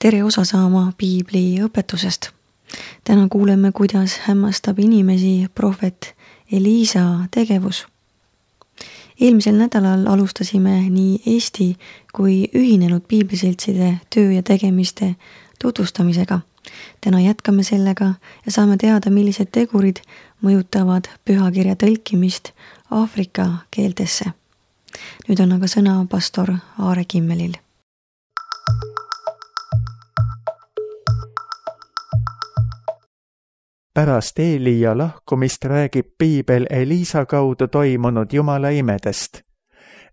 tere osa saama piibli õpetusest. Täna kuuleme, kuidas hämmastab inimesi prohvet Eliisa tegevus. Eelmisel nädalal alustasime nii Eesti kui ühinenud piibliseltside töö ja tegemiste tutvustamisega. Täna jätkame sellega ja saame teada, millised tegurid mõjutavad pühakirja tõlkimist Aafrika keeltesse. Nüüd on aga sõna pastor Aare Kimmelil. Pärast Eelia lahkumist räägib piibel Eliisa kaudu toimunud Jumala imedest.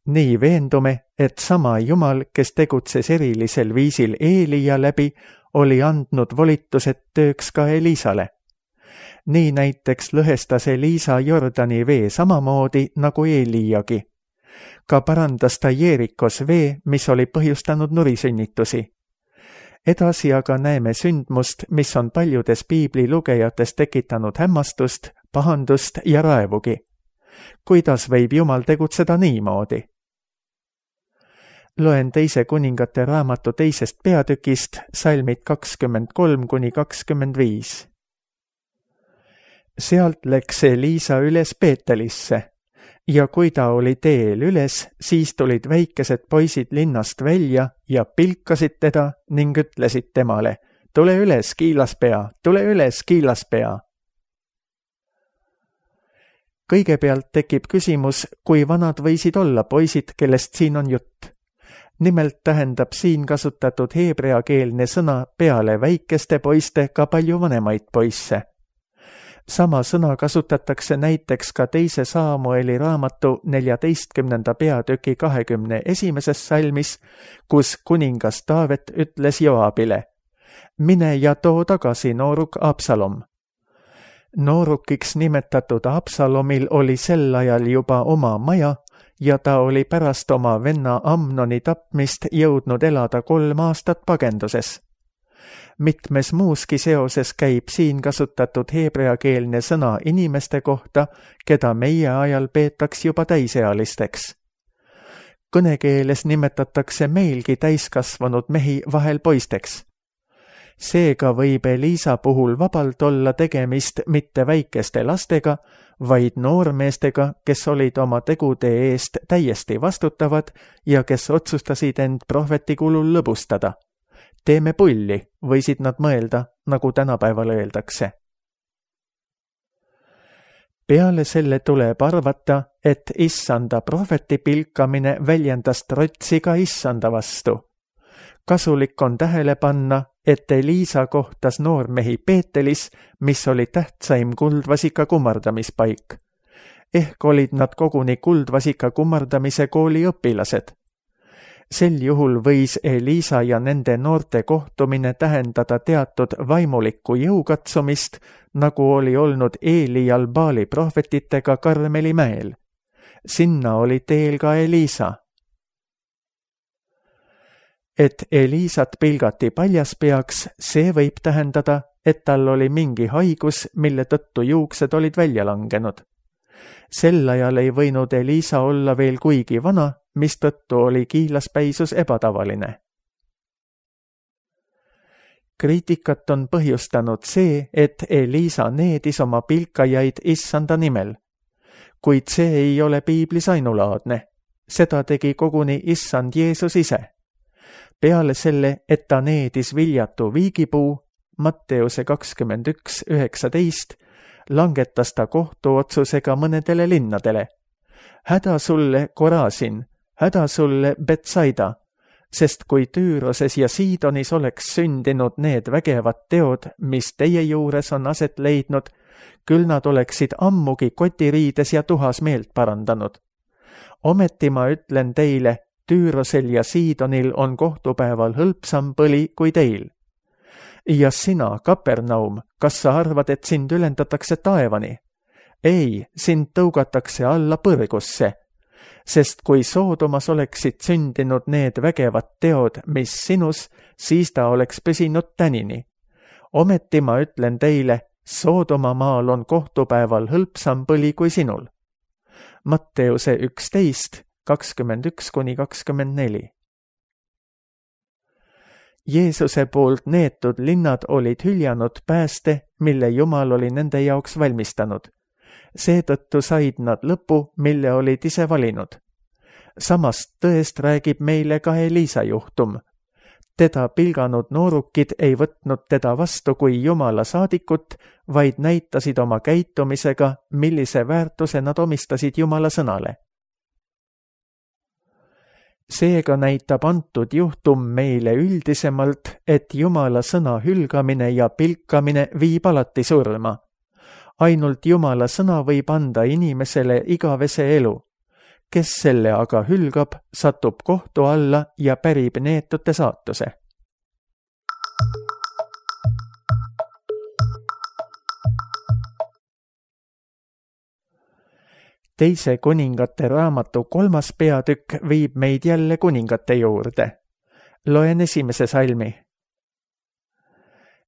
Nii veendume, et sama Jumal, kes tegutses erilisel viisil Eelia läbi, oli andnud volitused tööks ka Eliisale. Nii näiteks lõhestas Eliisa Jordani vee samamoodi nagu Eeliagi. Ka parandas ta Jeerikos vee, mis oli põhjustanud nurisünnitusi. Edasi aga näeme sündmust, mis on paljudes piibli lugejates tekitanud hämmastust, pahandust ja raevugi. Kuidas võib Jumal tegutseda niimoodi? Loen 2. kuningate raamatu 2. peatükist, salmid 23-25. Sealt läks Eliisa üles Peetelisse ja kui ta oli teel üles, siis tulid väikesed poisid linnast välja ja pilkasid teda ning ütlesid temale, tule üles, kiilaspea, tule üles, kiilaspea. Kõigepealt tekib küsimus, kui vanad võisid olla poisid, kellest siin on jutt. Nimelt tähendab siin kasutatud heebreakeelne sõna peale väikeste poiste ka palju vanemaid poisse. Sama sõna kasutatakse näiteks ka 2. Saamueli raamatu 14. peatüki 21. salmis, kus kuningas Taavet ütles Joabile, mine ja too tagasi nooruk Absalom. Noorukiks nimetatud Absalomil oli sel ajal juba oma maja ja ta oli pärast oma venna Amnoni tapmist jõudnud elada 3 aastat pagenduses. Mitmes muuski seoses käib siin kasutatud heebreakeelne sõna inimeste kohta, keda meie ajal peetaks juba täisealisteks. Kõnekeeles nimetatakse meilgi täiskasvanud mehi vahel poisteks. Seega võib Eliisa puhul vabalt olla tegemist mitte väikeste lastega, vaid noormeestega, kes olid oma tegude eest täiesti vastutavad ja kes otsustasid end prohveti kulul lõbustada. Teeme pulli, võisid nad mõelda, nagu tänapäeval öeldakse. Peale selle tuleb arvata, et issanda prohveti pilkamine väljendas trotsi ka issanda vastu. Kasulik on tähele panna, et Eliisa kohtas noormehi Peetelis, mis oli tähtsaim kuldvasika kummardamispaik. Ehk olid nad koguni kuldvasika kummardamise kooli õpilased. Sel juhul võis Eliisa ja nende noorte kohtumine tähendada teatud vaimulikku jõukatsumist, nagu oli olnud Eelial Baali prohvetitega Karmeli mäel. Sinna oli teel ka Eliisa. Et Eliisat pilgati paljaspeaks, see võib tähendada, et tal oli mingi haigus, mille tõttu juuksed olid välja langenud. Sel ajal ei võinud Eliisa olla veel kuigi vana, mistõttu oli kiilaspäisus ebatavaline. Kriitikat on põhjustanud see, et Eliisa needis oma pilkajaid issanda nimel. Kuid see ei ole piiblis ainulaadne. Seda tegi koguni issand Jeesus ise. Peale selle, et ta needis viljatu viigipuu, Matteuse 21:19, langetas ta kohtuotsusega mõnedele linnadele. Häda sulle, Korasin! Häda sulle, Betsaida, sest kui Tüüroses ja Siidonis oleks sündinud need vägevad teod, mis teie juures on aset leidnud, küll nad oleksid ammugi kotiriides ja tuhas meelt parandanud. Ometi ma ütlen teile, Tüürosel ja Siidonil on kohtupäeval hõlpsam põli kui teil. Ja sina, Kapernaum, kas sa arvad, et sind ülendatakse taevani? Ei, sind tõugatakse alla põrgusse. Sest kui Soodomas oleksid sündinud need vägevad teod, mis sinus, siis ta oleks püsinud tänini. Ometi ma ütlen teile, Soodoma maal on kohtupäeval hõlpsam põli kui sinul. Matteuse 11, 21-24. Jeesuse poolt neetud linnad olid hüljanud pääste, mille Jumal oli nende jaoks valmistanud. Seetõttu said nad lõpu, mille olid ise valinud. Samast tõest räägib meile ka Eliisa juhtum. Teda pilganud noorukid ei võtnud teda vastu kui Jumala saadikut, vaid näitasid oma käitumisega, millise väärtuse nad omistasid Jumala sõnale. Seega näitab antud juhtum meile üldisemalt, et Jumala sõna hülgamine ja pilkamine viib alati surma. Ainult Jumala sõna võib anda inimesele igavese elu. Kes selle aga hülgab, satub kohtu alla ja pärib neetute saatuse. Teise kuningate raamatu 3. peatükk viib meid jälle kuningate juurde. Loen 1. salmi.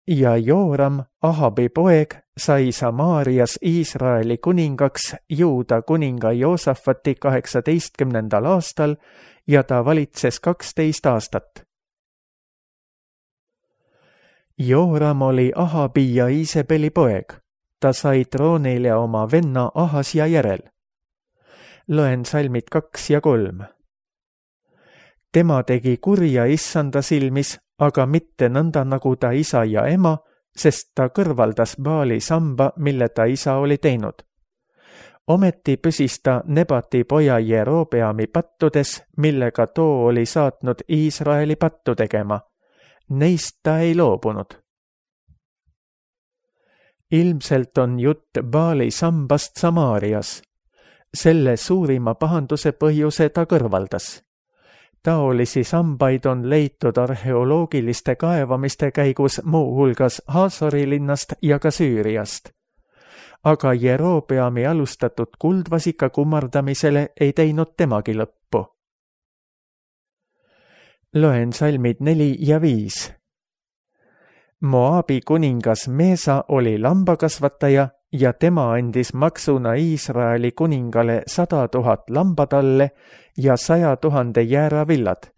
Ja Jooram, Ahabi poeg, sai Samaarias Iisraeli kuningaks Juuda kuninga Joosafati 18. aastal ja ta valitses 12 aastat. Jooram oli Ahabi ja Iisebeli poeg. Ta sai troonile oma venna Ahasja järel. Loen salmid 2 ja 3. Tema tegi kurja issanda silmis, aga mitte nõnda nagu ta isa ja ema, sest ta kõrvaldas Baali samba, mille ta isa oli teinud. Ometi püsis ta Nebati poja Jerobeami pattudes, millega too oli saatnud Iisraeli pattu tegema. Neist ta ei loobunud. Ilmselt on jutt Baali sambast Samaarias. Selle suurima pahanduse põhjuse ta kõrvaldas. Taolisi sambaid on leitud arheoloogiliste kaevamiste käigus muu hulgas Haasori linnast ja ka Süüriast. Aga Jerobeami alustatud kuldvasika kummardamisele ei teinud temagi lõppu. Loen salmid 4 ja 5. Moabi kuningas Meesa oli lambakasvataja ja tema andis maksuna Iisraeli kuningale 100 000 lambatalle ja 100 000 jääravillad.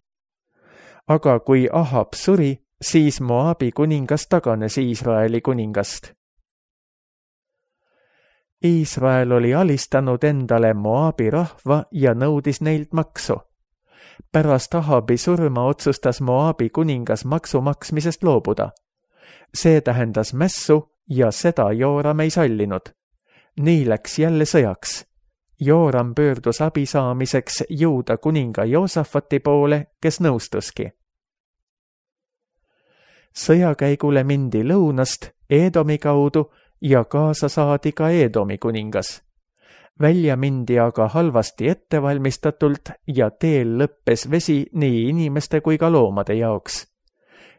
Aga kui Ahab suri, siis Moabi kuningas taganes Iisraeli kuningast. Iisrael oli alistanud endale Moabi rahva ja nõudis neilt maksu. Pärast Ahabi surma otsustas Moabi kuningas maksu maksmisest loobuda. See tähendas mässu ja seda Jooram ei sallinud. Nii läks jälle sõjaks. Jooram pöördus abi saamiseks Juuda kuninga Joosafati poole, kes nõustuski. Sõjakäigule mindi lõunast Eedomi kaudu ja kaasa saadi ka Eedomi kuningas. Välja mindi aga halvasti ettevalmistatult ja teel lõppes vesi nii inimeste kui ka loomade jaoks.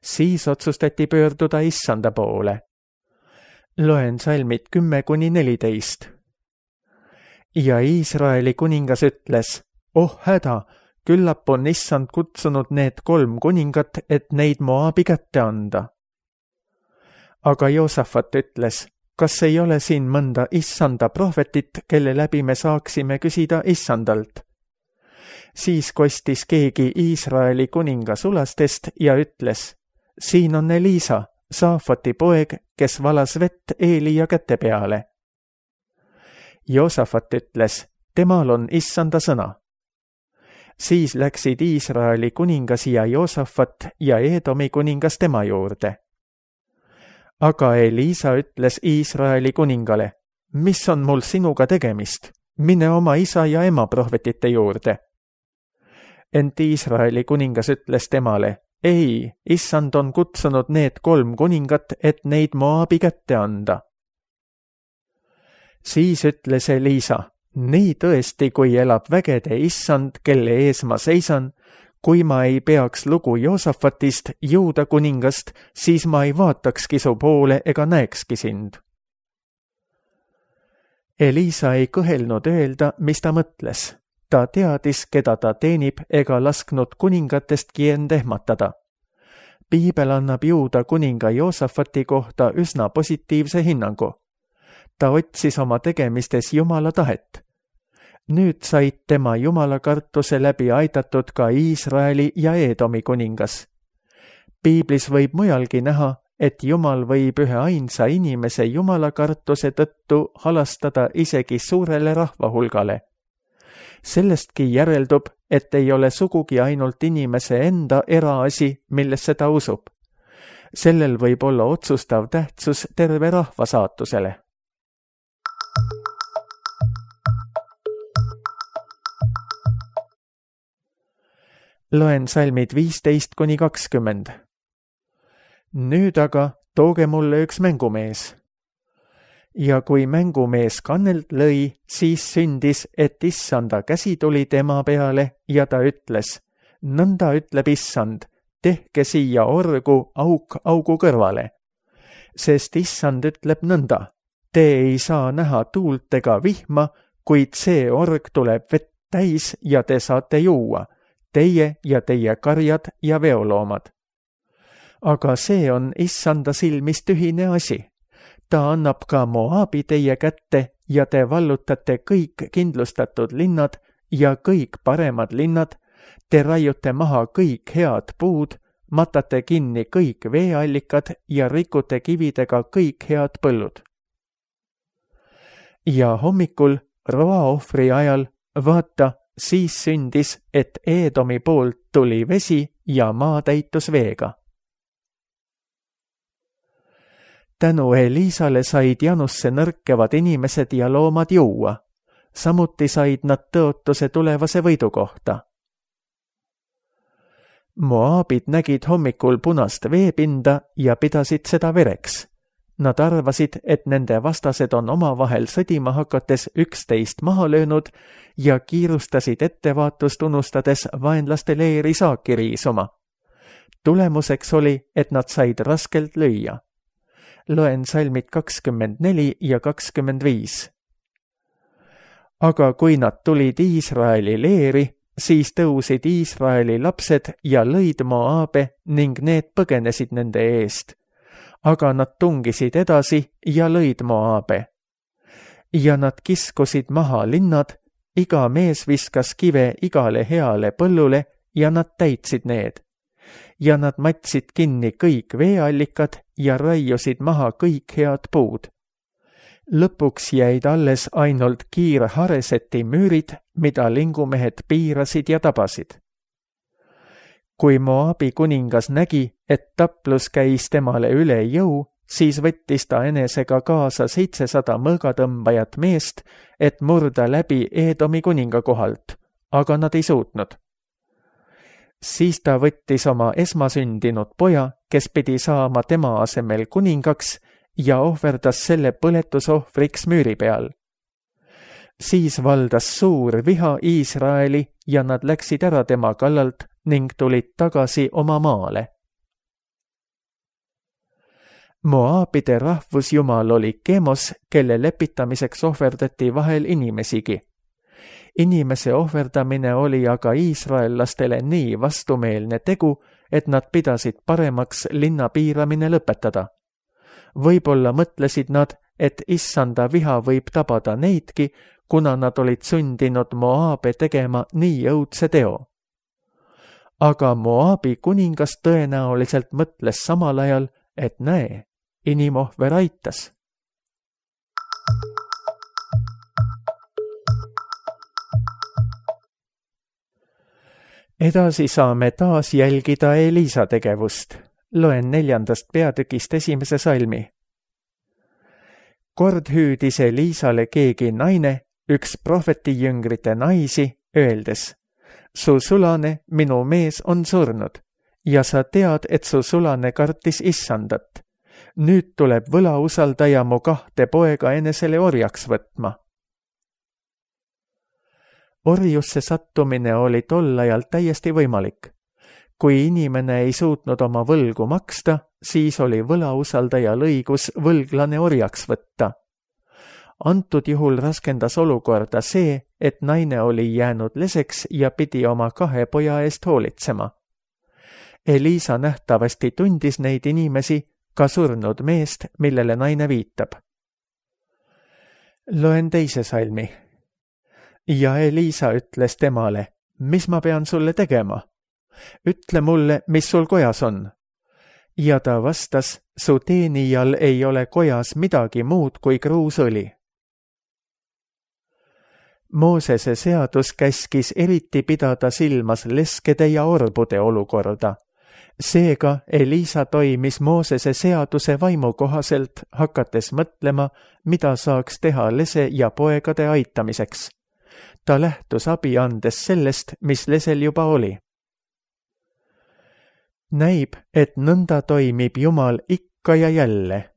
Siis otsustati pöörduda issanda poole. Loen salmid 10-14. Ja Iisraeli kuningas ütles, oh häda, küllap on issand kutsunud need 3 kuningat, et neid Moabi kätte anda. Aga Joosafat ütles, kas ei ole siin mõnda issanda prohvetit, kelle läbi me saaksime küsida issandalt? Siis kostis keegi Iisraeli kuninga sulastest ja ütles, siin on Eliisa, Saafati poeg, kes valas vett Eelia käte peale. Joosafat ütles, temal on issanda sõna. Siis läksid Iisraeli kuningas ja Joosafat ja Eedomi kuningas tema juurde. Aga Eliisa ütles Iisraeli kuningale, mis on mul sinuga tegemist? Mine oma isa ja ema prohvetite juurde. Ent Iisraeli kuningas ütles temale, ei, issand on kutsunud need 3 kuningat, et neid Moabi kätte anda. Siis ütles Eliisa, nii tõesti, kui elab vägede issand, kelle ees ma seisan, kui ma ei peaks lugu Joosafatist, Juuda kuningast, siis ma ei vaatakski su poole ega näekski sind. Eliisa ei kõhelnud öelda, mis ta mõtles. Ta teadis, keda ta teenib, ega lasknud kuningatestki end ehmatada. Piibel annab Juuda kuninga Joosafati kohta üsna positiivse hinnangu. Ta otsis oma tegemistes Jumala tahet. Nüüd said tema Jumala kartuse läbi aidatud ka Iisraeli ja Eedomi kuningas. Piiblis võib mujalgi näha, et Jumal võib ühe ainsa inimese jumalakartuse tõttu halastada isegi suurele rahvahulgale. Sellestki järeldub, et ei ole sugugi ainult inimese enda eraasi, millesse ta usub. Sellel võib olla otsustav tähtsus terve rahva saatusele. Loen salmid 15–20. Nüüd aga tooge mulle üks mängumees. Ja kui mängumees kannelt lõi, siis sündis, et issanda käsi tuli tema peale ja ta ütles, nõnda ütleb issand, tehke siia orgu auk augu kõrvale. Sest issand ütleb nõnda, te ei saa näha tuult ega vihma, kuid see org tuleb vett täis ja te saate juua, teie ja teie karjad ja veoloomad. Aga see on issanda silmis tühine asi. Ta annab ka Moabi teie kätte ja te vallutate kõik kindlustatud linnad ja kõik paremad linnad, te raiute maha kõik head puud, matate kinni kõik veeallikad ja rikute kividega kõik head põllud. Ja hommikul roaohvri ajal, vaata, siis sündis, et Eedomi poolt tuli vesi ja maa täitus veega. Tänu Eliisale said janusse nõrkevad inimesed ja loomad juua. Samuti said nad tõotuse tulevase võidu kohta. Moabid nägid hommikul punast veepinda ja pidasid seda vereks. Nad arvasid, et nende vastased on omavahel sõdima hakates 11 maha löönud ja kiirustasid ettevaatust unustades vaenlaste leeri saaki riisuma. Tulemuseks oli, et nad said raskelt lüüa. Loen salmid 24 ja 25. Aga kui nad tulid Iisraeli leeri, siis tõusid Iisraeli lapsed ja lõid Moabe ning need põgenesid nende eest. Aga nad tungisid edasi ja lõid Moabe. Ja nad kiskusid maha linnad, iga mees viskas kive igale heale põllule ja nad täitsid need. Ja nad matsid kinni kõik veeallikad ja raiusid maha kõik head puud. Lõpuks jäid alles ainult Kiir-Hareseti müürid, mida lingumehed piirasid ja tabasid. Kui Moabi kuningas nägi, et taplus käis temale üle jõu, siis võttis ta enesega kaasa 700 mõõgatõmbajat meest, et murda läbi Eedomi kuninga kohalt, aga nad ei suutnud. Siis ta võttis oma esmasündinud poja, kes pidi saama tema asemel kuningaks ja ohverdas selle põletusohvriks müüri peal. Siis valdas suur viha Iisraeli ja nad läksid ära tema kallalt ning tulid tagasi oma maale. Moabide rahvusjumal oli Kemos, kelle lepitamiseks ohverdati vahel inimesigi. Inimese ohverdamine oli aga iisraellastele nii vastumeelne tegu, et nad pidasid paremaks linna piiramine lõpetada. Võib-olla mõtlesid nad, et issanda viha võib tabada neidki, kuna nad olid sundinud Moabe tegema nii õudse teo. Aga Moabi kuningas tõenäoliselt mõtles samal ajal, et näe, inimohver aitas. Edasi saame taas jälgida Eliisa tegevust. Loen 4. peatükist 1. salmi. Kord hüüdis Eliisale keegi naine, üks prohvetijüngrite naisi, öeldes, su sulane, minu mees on surnud ja sa tead, et su sulane kartis issandat. Nüüd tuleb võlausaldaja mu 2 poega enesele orjaks võtma. Orjusse sattumine oli tol ajal täiesti võimalik. Kui inimene ei suutnud oma võlgu maksta, siis oli võlausaldajal õigus võlglane orjaks võtta. Antud juhul raskendas olukorda see, et naine oli jäänud leseks ja pidi oma 2 poja eest hoolitsema. Eliisa nähtavasti tundis neid inimesi, ka surnud meest, millele naine viitab. Loen 2. salmi. Ja Eliisa ütles temale, mis ma pean sulle tegema? Ütle mulle, mis sul kojas on. Ja ta vastas, su teenijal ei ole kojas midagi muud kui kruusõli. Moosese seadus käskis eriti pidada silmas leskede ja orbude olukorda. Seega Eliisa toimis Moosese seaduse vaimu kohaselt, hakates mõtlema, mida saaks teha lese ja poegade aitamiseks. Ta lähtus abi andes sellest, mis lesel juba oli. Näib, et nõnda toimib Jumal ikka ja jälle.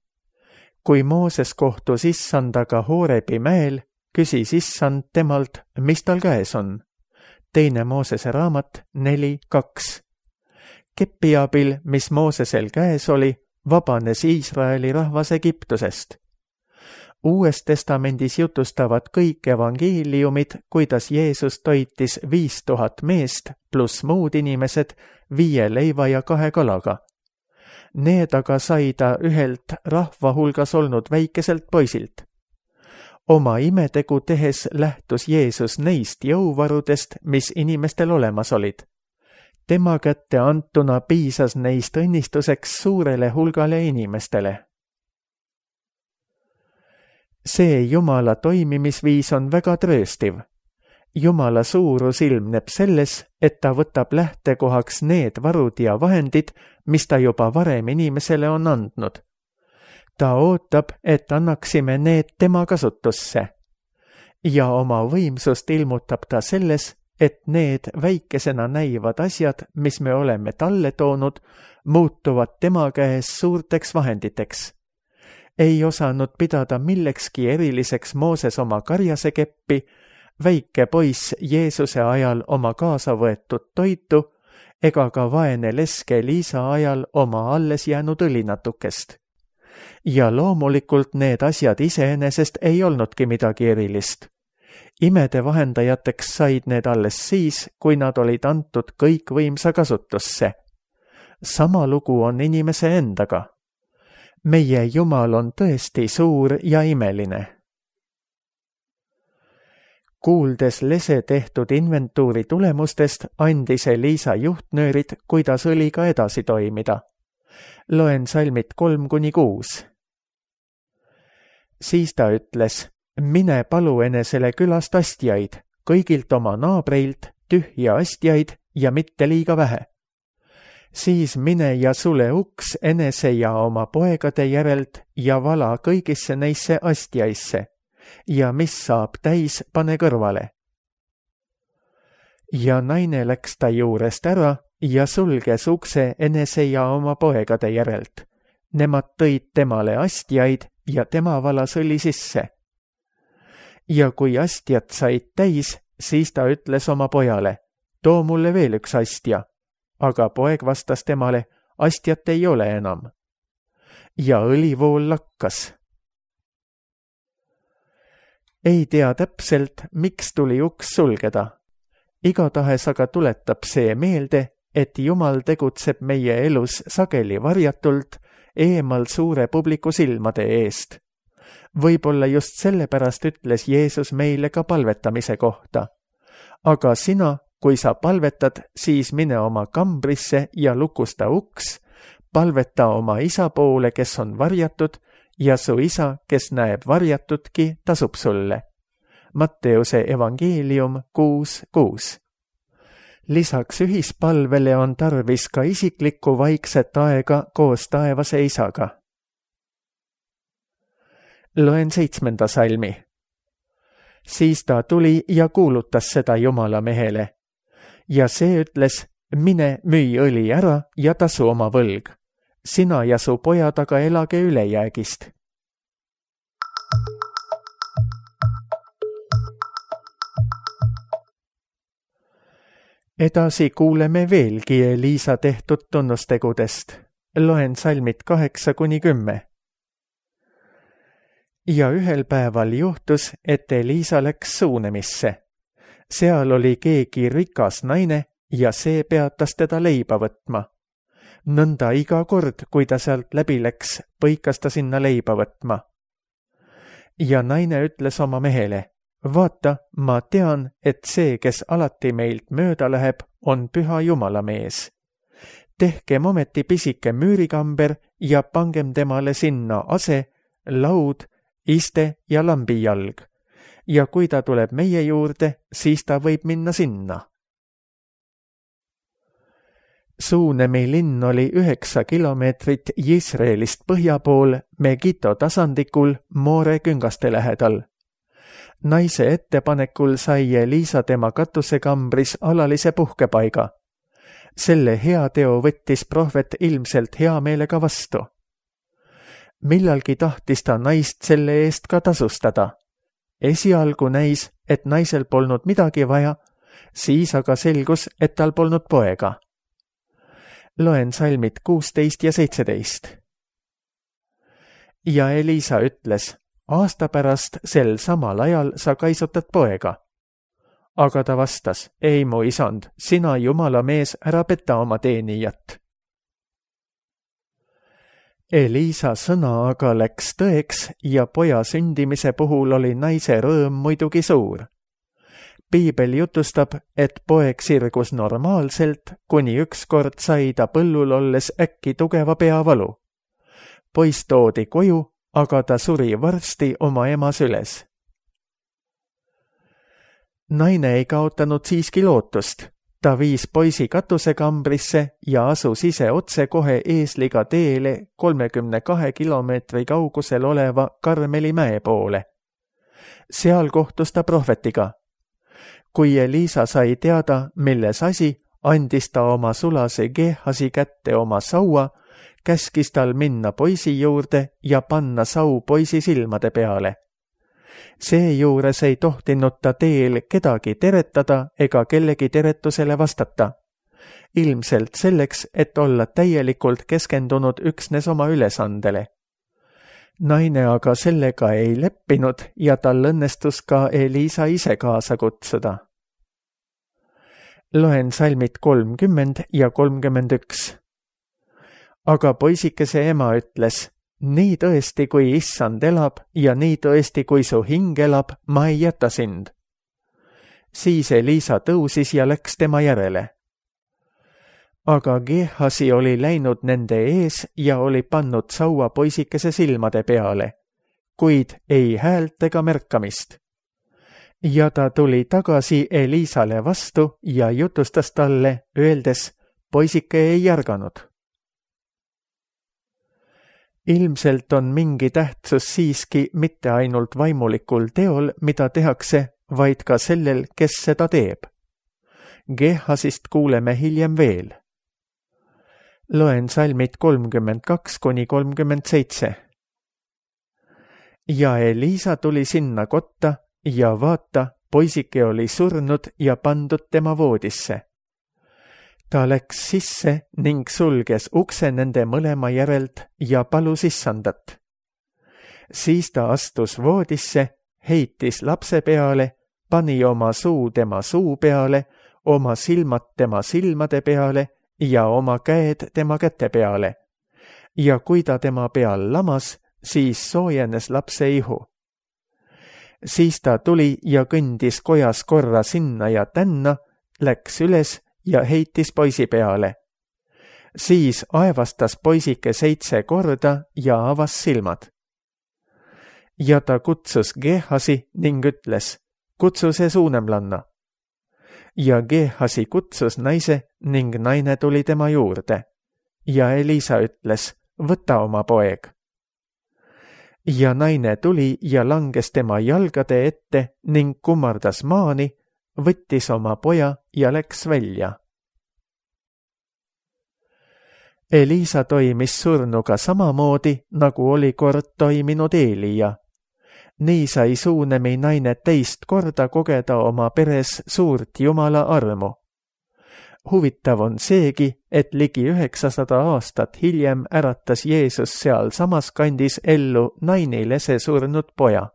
Kui Mooses kohtus issandaga Hoorebi mäel, küsis issand temalt, mis tal käes on. 2. Moosese raamat 4.2. Kepi abil, mis Moosesel käes oli, vabanes Iisraeli rahvas Egiptusest. Uues testamendis jutustavad kõik evangeeliumid, kuidas Jeesus toitis 5000 meest pluss muud inimesed 5 leiva ja 2 kalaga. Need aga sai ta ühelt rahva hulgas olnud väikeselt poisilt. Oma imetegu tehes lähtus Jeesus neist jõuvarudest, mis inimestel olemas olid. Tema kätte antuna piisas neist õnnistuseks suurele hulgale inimestele. See Jumala toimimisviis on väga trööstiv. Jumala suurus ilmneb selles, et ta võtab lähtekohaks need varud ja vahendid, mis ta juba varem inimesele on andnud. Ta ootab, et annaksime need tema kasutusse. Ja oma võimsust ilmutab ta selles, et need väikesena näivad asjad, mis me oleme talle toonud, muutuvad tema käes suurteks vahenditeks. Ei osanud pidada millekski eriliseks Mooses oma karjasekeppi, väike poiss Jeesuse ajal oma kaasa võetud toitu ega ka vaene leske Liisa ajal oma alles jäänud õlinatukest. Ja loomulikult need asjad iseenesest ei olnudki midagi erilist. Imede vahendajateks said need alles siis, kui nad olid antud kõikvõimsa kasutusse. Sama lugu on inimese endaga. Meie Jumal on tõesti suur ja imeline. Kuuldes lese tehtud inventuuri tulemustest, andis Eliisa juhtnöörid, kuidas õliga edasi toimida. Loen salmid 3-6. Siis ta ütles, mine palu enesele külast astjaid, kõigilt oma naabreilt, tühja astjaid ja mitte liiga vähe. Siis mine ja sule uks enese ja oma poegade järelt ja vala kõigisse neisse astjaisse ja mis saab täis, pane kõrvale. Ja naine läks ta juurest ära ja sulges ukse enese ja oma poegade järelt. Nemad tõid temale astjaid ja tema valas õli sisse. Ja kui astjad said täis, siis ta ütles oma pojale, too mulle veel üks astja. Aga poeg vastas temale, astjat ei ole enam. Ja õlivool lakkas. Ei tea täpselt, miks tuli uks sulgeda. Igatahes aga tuletab see meelde, et Jumal tegutseb meie elus sageli varjatult, eemal suure publiku silmade eest. Võib-olla just sellepärast ütles Jeesus meile ka palvetamise kohta. Aga sina, kui sa palvetad, siis mine oma kambrisse ja lukusta uks, palveta oma isa poole, kes on varjatud, ja su isa, kes näeb varjatudki, tasub sulle. Matteuse evangeelium 6.6. Lisaks ühispalvele on tarvis ka isiklikku vaikset aega koos taevase isaga. Loen 7. salmi. Siis ta tuli ja kuulutas seda Jumala mehele. Ja see ütles, mine müü õli ära ja tasu oma võlg. Sina ja su pojad aga elage ülejäägist. Edasi kuuleme veelgi Eliisa tehtud tunnustegudest. Loen salmid 8-10. Ja ühel päeval juhtus, et Eliisa läks suunemisse. Seal oli keegi rikas naine ja see peatas teda leiba võtma. Nõnda iga kord, kui ta sealt läbi läks, põikas ta sinna leiba võtma. Ja naine ütles oma mehele, vaata, ma tean, et see, kes alati meilt mööda läheb, on püha Jumala mees. tehkem ometi pisike müürikamber ja pangem temale sinna ase, laud, iste ja lambijalg. Ja kui ta tuleb meie juurde, siis ta võib minna sinna. Suunemi linn oli 9 kilomeetrit Jisraelist põhja pool Megito tasandikul Moore küngaste lähedal. Naise ettepanekul sai Eliisa tema katusekambris alalise puhkepaiga. Selle heateo võttis prohvet ilmselt hea meelega vastu. Millalgi tahtis ta naist selle eest ka tasustada. Esialgu näis, et naisel polnud midagi vaja, siis aga selgus, et tal polnud poega. Loen salmid 16 ja 17. Ja Eliisa ütles, aasta pärast sel samal ajal sa kaisutad poega. Aga ta vastas, ei mu isand, sina jumala mees, ära peta oma teenijat. Eliisa sõna aga läks tõeks ja poja sündimise puhul oli naise rõõm muidugi suur. Piibel jutustab, et poeg sirgus normaalselt, kuni ükskord sai ta põllul olles äkki tugeva peavalu. Poiss toodi koju, aga ta suri varsti oma ema süles. Naine ei kaotanud siiski lootust. Ta viis poisi katusekambrisse ja asus ise otse kohe eesliga teele 32 kilomeetri kaugusel oleva Karmeli mäe poole. Seal kohtus ta prohvetiga. Kui Eliisa sai teada, milles asi, andis ta oma sulase Gehasi kätte oma saua, käskis tal minna poisi juurde ja panna sau poisi silmade peale. Seejuures ei tohtinud ta teel kedagi teretada ega kellegi teretusele vastata. Ilmselt selleks, et olla täielikult keskendunud üksnes oma ülesandele. Naine aga sellega ei leppinud ja tal õnnestus ka Eliisa ise kaasa kutsuda. Loen salmid 30 ja 31. Aga poisikese ema ütles, nii tõesti, kui issand elab ja nii tõesti, kui su hing elab, ma ei jäta sind. Siis Eliisa tõusis ja läks tema järele. Aga Gehasi oli läinud nende ees ja oli pannud saua poisikese silmade peale, kuid ei häält ega märkamist. Ja ta tuli tagasi Eliisale vastu ja jutustas talle, öeldes, poisike ei järganud. Ilmselt on mingi tähtsus siiski mitte ainult vaimulikul teol, mida tehakse, vaid ka sellel, kes seda teeb. Gehasist kuuleme hiljem veel. Loen salmid 32 kuni 37. Ja Eliisa tuli sinna kotta ja vaata, poisike oli surnud ja pandud tema voodisse. Ta läks sisse ning sulges ukse nende mõlema järelt ja palus issandat. Siis ta astus voodisse, heitis lapse peale, pani oma suu tema suu peale, oma silmad tema silmade peale ja oma käed tema käte peale. Ja kui ta tema peal lamas, siis soojenes lapse ihu. Siis ta tuli ja kõndis kojas korra sinna ja tänna, läks üles ja heitis poisi peale. Siis aevastas poisike 7 korda ja avas silmad. Ja ta kutsus Gehasi ning ütles, kutsu see suunemlanna. Ja Gehasi kutsus naise ning naine tuli tema juurde. Ja Eliisa ütles, võta oma poeg. Ja naine tuli ja langes tema jalgade ette ning kummardas maani, võttis oma poja ja läks välja. Eliisa toimis surnuga samamoodi, nagu oli kord toiminud Eelia. Nii sai Suunemi naine teist korda kogeda oma peres suurt Jumala armu. Huvitav on seegi, et ligi 900 aastat hiljem äratas Jeesus seal samas kandis ellu nainilese surnud poja.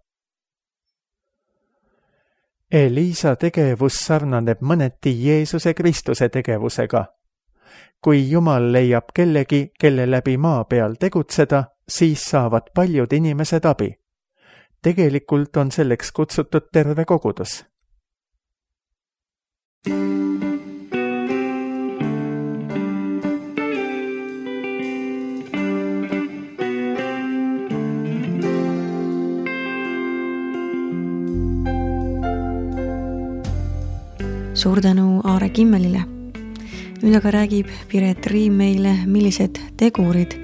Eliisa tegevus sarnaneb mõneti Jeesuse Kristuse tegevusega. Kui Jumal leiab kellegi, kelle läbi maa peal tegutseda, siis saavad paljud inimesed abi. Tegelikult on selleks kutsutud terve kogudus. suur tänu Aare Kimmelile. Nüüd aga räägib Piret Riim meile, millised tegurid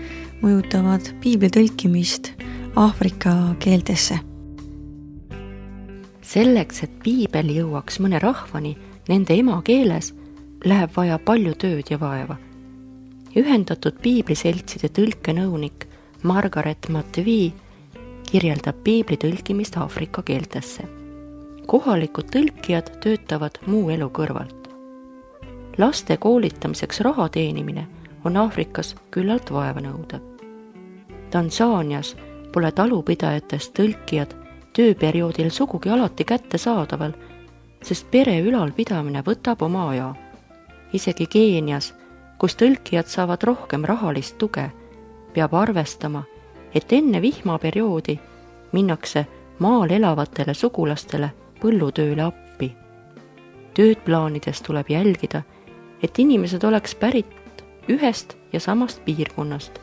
mõjutavad piibli tõlkimist Aafrika keeltesse. Selleks, et piibel jõuaks mõne rahvani nende emakeeles, läheb vaja palju tööd ja vaeva. Ühendatud piibliseltside tõlkenõunik Margaret Matevii kirjeldab piibli tõlkimist Aafrika keeltesse. Kohalikud tõlkijad töötavad muu elu kõrvalt. Laste koolitamiseks raha teenimine on Aafrikas küllalt vaevanõudev. Tansaanias pole talupidajatest tõlkijad tööperioodil sugugi alati kättesaadaval, sest pere ülalpidamine võtab oma aja. Isegi Keenias, kus tõlkijad saavad rohkem rahalist tuge, peab arvestama, et enne vihmaperioodi minnakse maal elavatele sugulastele põllutööle appi. Tööd plaanides tuleb jälgida, et inimesed oleks pärit ühest ja samast piirkonnast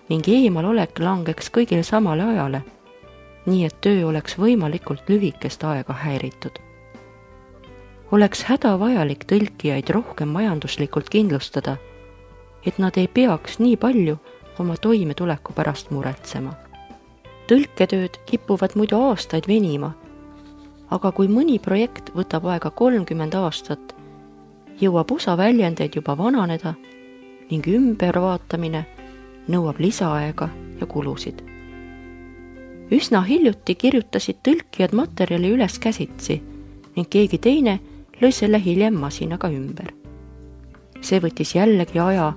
ning eemalolek langeks kõigil samale ajale, nii et töö oleks võimalikult lühikest aega häiritud. Oleks hädavajalik tõlkijaid rohkem majanduslikult kindlustada, et nad ei peaks nii palju oma toimetuleku pärast muretsema. Tõlketööd kipuvad muidu aastaid venima, aga kui mõni projekt võtab aega 30 aastat, jõuab osa väljendeid juba vananeda ning ümbervaatamine nõuab lisaaega ja kulusid. Üsna hiljuti kirjutasid tõlkijad materjali üles käsitsi ning keegi teine lõi selle hiljem masinaga ümber. See võttis jällegi aja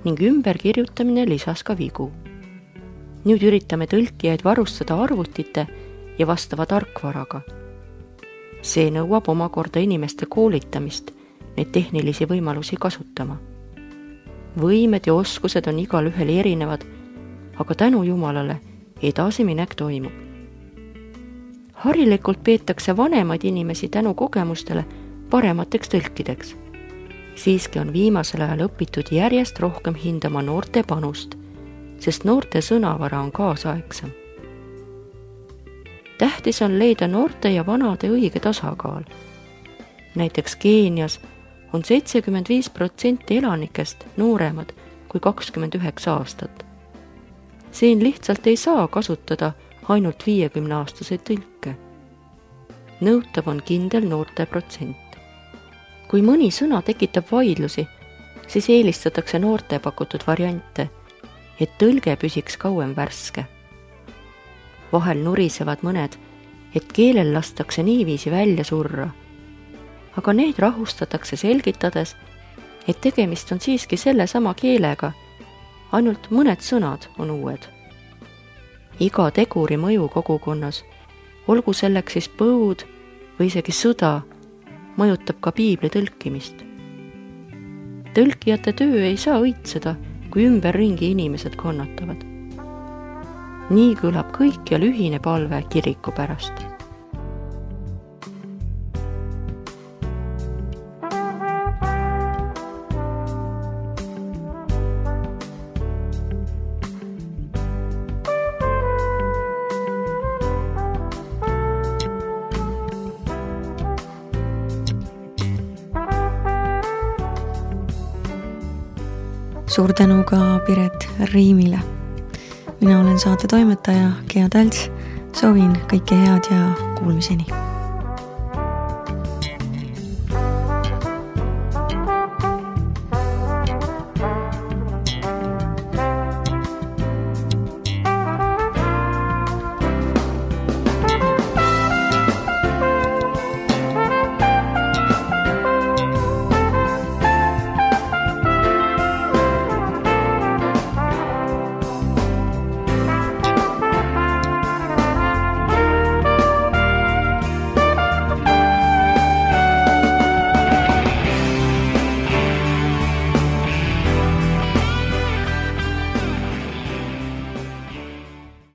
ning ümberkirjutamine lisas ka vigu. Nüüd üritame tõlkijaid varustada arvutite ja vastava tarkvaraga. See nõuab omakorda inimeste koolitamist neid tehnilisi võimalusi kasutama. Võimed ja oskused on igal ühel erinevad, aga tänu Jumalale edasiminek toimub. Harilikult peetakse vanemaid inimesi tänu kogemustele paremateks tõlkideks. Siiski on viimasel ajal õpitud järjest rohkem hindama noorte panust, sest noorte sõnavara on kaasaegsam. Tähtis on leida noorte ja vanade õige tasakaal. Näiteks Keenias on 75% elanikest nooremad kui 29 aastat. Siin lihtsalt ei saa kasutada ainult 50-aastaseid tõlke. Nõutav on kindel noorte protsent. Kui mõni sõna tekitab vaidlusi, siis eelistatakse noorte pakutud variante, et tõlge püsiks kauem värske. Vahel nurisevad mõned, et keelel lastakse niiviisi välja surra, aga need rahustatakse selgitades, et tegemist on siiski selle sama keelega, ainult mõned sõnad on uued. Iga teguri mõju kogukonnas, olgu selleks siis põud või isegi sõda, mõjutab ka piibli tõlkimist. Tõlkijate töö ei saa õitseda, kui ümberringi inimesed kannatavad. Nii kõlab kõikjal ühine palve kiriku pärast. Suur tänu ka Piret Riimile. Mina olen saate toimetaja Gea Talts. Soovin kõike head ja kuulmiseni.